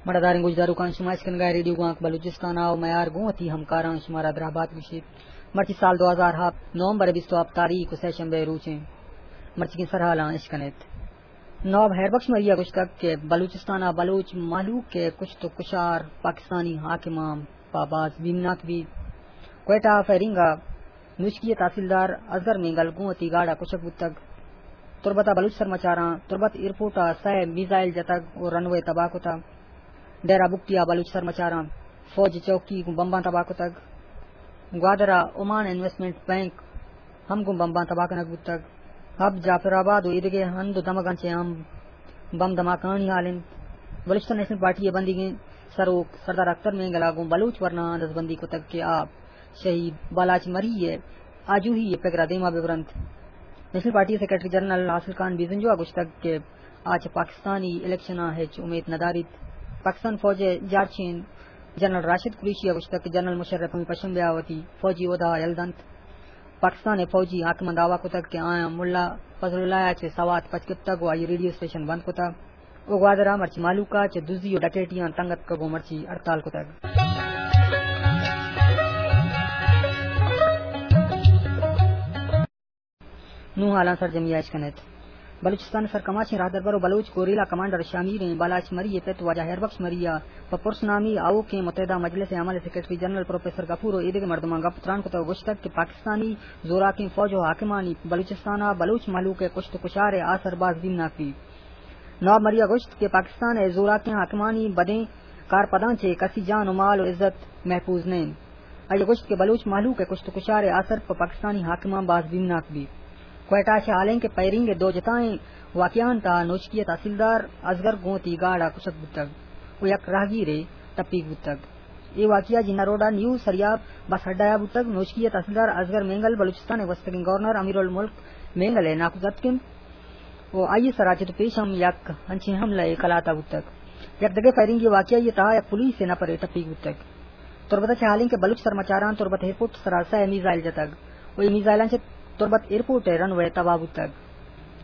مڑداریں گوشداروکاں، شما اشکنگا ریڈیو گوانک بلوچستان ءَ ءُ میار گوں وتی ہمکاراں شمارا دراہ بات گوشیت۔ مرچی سال دو ہزار ہپت، نومبر بیست ءُ ہپت تاریخ ءُ سہ شنبے روچیں۔ مرچیگیں سرحالاں اشکنیت۔ نواب ہیر بخش مری ءَ گوشتگ کہ بلوچستان ءَ بلوچ مہلوک ءِ کشت ءُ کشار پاکستانی حاکماں پہ باز بیمناک بیت۔ کوئٹہ ءَ فائرنگ ءَ نوشکی ءِ تحصیلدار اصغر مینگل گوں وتی گاڑ ءَ کشگ بوتگ۔ تربت ءَ بلوچ سرمچاراں تربت ایئرپورٹ ءَ سئے میزائل جتگ ءُ رن وے تباہ کتگ۔ ڈیرہ بگٹی ءَ بلوچ سرمچاراں فوج چوکی گوں بمباں تباہ کتگ۔ گوادر ءَ اومان انویسٹمنٹ بینک ہم گوں بمباں تباہ کنگ بوتگ۔ حب، جعفر آباد ءُ ایدگہ ہند ءُ دمگاں چہ ہم بم دھماکہانی حال انت۔ بلوچستان نیشنل پارٹی ءِ بندیگیں سروک سردار اختر مینگل ءَ گوں بلوچ ورناہاں دزبندی کتگ کہ آ شہید بالاچ مری ءِ آجوئی ءِ پگر ءَ دیما بہ برنت۔ نیشنل پارٹی ءِ سیکرٹری جنرل حاصل خان بزنجو ءَ گوشتگ کہ آ چہ پاکستانی الیکشن ءَ ہچ امیت نہ داریت۔ پاکستان فوج ءِ جارچین جنرل راشد قریشی ءَ گوشتگ کہ جنرل مشرف ہمے پشنبے ءَ وتی فوجی عہدہ ءَ یل دنت۔ پاکستان ءِ فوجی حاکماں دعویٰ کتگ کہ آیاں ملا فضل اللہ ءَ چہ سوات پچ گپتگ ءُ آئی ریڈیو اسٹیشن بند کتگ ءُ گوادر ءَ مرچی مہلوک ءَ چہ دزی ءُ ڈکیٹیاں تنگ اتکگ ءُ مرچی ہڑتال کتگ۔ نوں حالاں سرجمی ءَ اشکنیت۔ بلوچستان ءِ سرکماشیں راہدربر ءُ بلوچ گوریلا کمانڈر شامیریں بالاچ مری ءِ پت واجہ ہیربخش مری ءَ پہ پرس نامی آؤکیں متحدہ مجلس ءِ عمل ءِ سیکرٹری جنرل پروفیسر غفور ءُ ایدگہ مردماں گپ تران کتگ ءُ گوشتگ کہ پاکستانی زوراکیں فوج ءُ حاکمانی بلوچستان ءَ بلوچ مہلوک ءِ کشت ءُ کشار ءِ آسر باز بیمناک بیت۔ نواب مری ءَ گوشت کہ پاکستان ءِ زوراکیں حاکمانی بدیں کارپداں چہ کسی جان ءُ مال ءُ عزت محفوظ نہ انت۔ آئی ءَ گوشت کہ بلوچ مہلوک ءِ کشت ءُ کشار ءِ آسر پہ پاکستانی حاکماں باز بیمناک بیت۔ کوئٹہ ءَ چہ حالیں کہ فائرنگ ءِ دو جتائیں واقعہاں تہا نوشکی ءِ تحصیلدار اصغر گوں وتی گاڑ ءَ کشگ بوتگ ءُ یک راہگیرے ٹپیگ بوتگ۔ اے واقعہ جناح روڈ ءَ نیو سریاب بس اڈہ ءَ بوتگ۔ نوشکی ءِ تحصیلدار اصغر مینگل بلوچستان ءِ گوستگیں گورنر امیر الملک مینگل ءِ ناکوزاتک انت۔ ءُ آئی ءِ سرا چہ تو پیش ہم یک انچیں حملہ ءِ کلات ءَ بوتگ۔ یک دگہ فائرنگ ءِ واقعہ ءِ تہا یک پولیس ءِ نپرے ٹپیگ بوتگ۔ تربت ءَ چہ حالیں کہ بلوچ سرمچاراں تربت ایئرپورٹ ءِ سرا سئے میزائل جتگ ءُ اے میزائلاں چہ تربت ایئرپورٹ ءِ رن وے تباہ بوتگ۔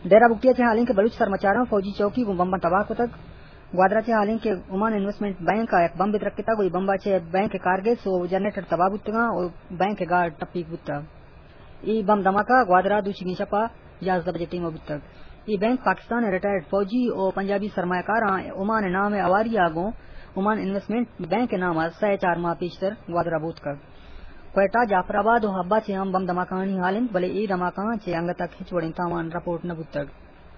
ڈیرہ بگٹی ءَ چہ حالیں کہ بلوچ سرمچاراں فوجی چوکی گوں بمباں تباہ کتگ۔ گوادر ءَ چہ حالیں کہ اومان انویسٹمنٹ بینک ءَ یک بمبے درکتگ ءُ اے بمب ءَ چہ بینک ءِ کارگس ءُ جنریٹر تباہ بوتگاں ءُ بینک ءِ گارڈ ٹپیگ بوتگ۔ اے بم دھماکہ گوادر ءَ دوشیگیں شپ ءَ یازدہ بجے ٹیم ءَ بوتگ۔ اے بینک پاکستان ءِ ریٹائرڈ فوجی ءُ پنجابی سرمایہ کاراں اومان ءِ نام ءَ ہواری ءَ گوں اومان انویسٹمنٹ بینک ءِ نام ءَ سئے چار ماہ پیشتر گوادر ءَ بوتکگ۔ کوئٹہ، جعفر آباد ءُ حب ءَ چہ ہم بم دھماکہانی حال انت، بلے اے دھماکہاں چہ انگت ءَ ہچ وڑیں تاوان رپورٹ نہ بوتگ۔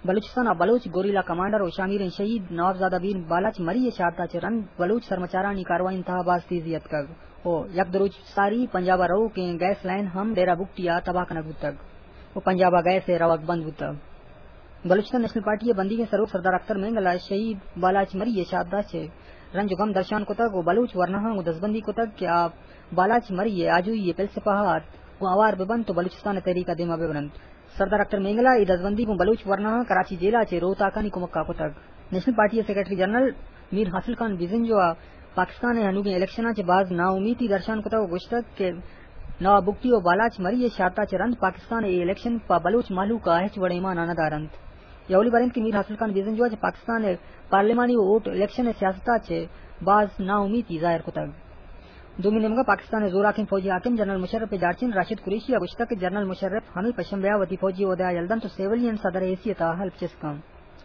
بلوچستان ءَ بلوچ گوریلا کمانڈر ءُ شامیریں شہید نوابزادہ میر بالاچ مری ءِ شہادت ءَ چہ رند بلوچ سرمچارانی کاروائیانی تہا باز تیزی اتکگ ءُ یک دو روچ ساری پنجاب ءَ روکیں گیس لائن ہم ڈیرہ بگٹی ءَ تباہ کنگ بوتگ ءُ پنجاب ءَ گیس ءِ روگ بند بوتگ۔ بلوچستان نیشنل پارٹی ءِ بندیگیں سروک سردار اختر مینگل ءَ شہید بالاچ مری ءِ شہادت ءَ چہ رنج ءُ گم درشان کتگ ءُ بلوچ ورناہاں گوں دزبندی کتگ کہ آ بالاچ مری ءِ آجوئی ءِ پلسپہ ءَ اتک گوں ہوار بہ بنت ءُ بلوچستان ءِ تحریک ءَ دیما بہ برنت۔ سردار اختر مینگل ءَ اے دزبندی گوں بلوچ ورناہاں کراچی جیل ءَ چہ روتاکانی کمک ءَ کتگ۔ نیشنل پارٹی ءِ سیکرٹری جنرل میر حاصل خان بزنجو ءَ پاکستان ءِ ہنوگیں الیکشناں چہ باز ناامیتی درشان کتگ ءُ گوشتگ کہ نواب بگٹی ءُ بالاچ مری ءِ شہادت ءَ چہ رند پاکستان ءِ اے الیکشن پہ بلوچ مہلوک ءَ ہچ وڑیں مانا نہ دارنت۔ اے اولی بر انت کہ میر حاصل خان بزنجو ءَ چہ پاکستان ءِ پارلیمانی ءُ ووٹ الیکشن ءِ سیاست ءَ چہ باز ناامیتی ظاہر کتگ۔ دومی نیمگ ءَ پاکستان ءِ زوراکیں فوجی حاکم جنرل مشرف ءِ جارچین راشد قریشی ءَ گوشتگ کہ جنرل مشرف ہمے پشنبے ءَ وتی فوجی عہدہ ءَ یل دنت ءُ سیولین صدر ءِ حیثیت ءَ حلف چست کنت۔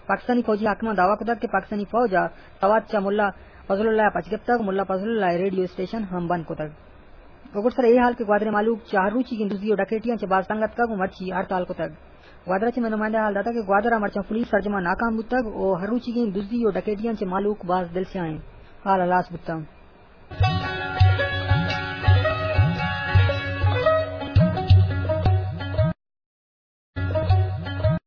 پاکستانی فوجی حاکماں دعویٰ کتگ کہ پاکستانی فوج ءَ سوات چہ ملا فضل اللہ ءَ پچ گپتگ ءُ ملا فضل اللہ ءِ ریڈیو اسٹیشن ہم بند کتگ۔ ءُ گڈسر اے حال کہ گوادر ءِ مہلوک چہ ہر روچیگیں دزی ءُ ڈکیٹیاں چہ باز تنگ اتکگ ءُ مرچی ہڑتال کتگ۔ گوادر ءَ چہ مئے نمائندہ ءَ حال داتگ کہ گوادر ءَ مرچاں پولیس سرجم ءَ ناکام بوتگ ءُ ہر روچیگیں دزی ءُ ڈکیٹیاں چہ مہلوک باز دلسیاہ انت۔ حال ہلاس بوتگ۔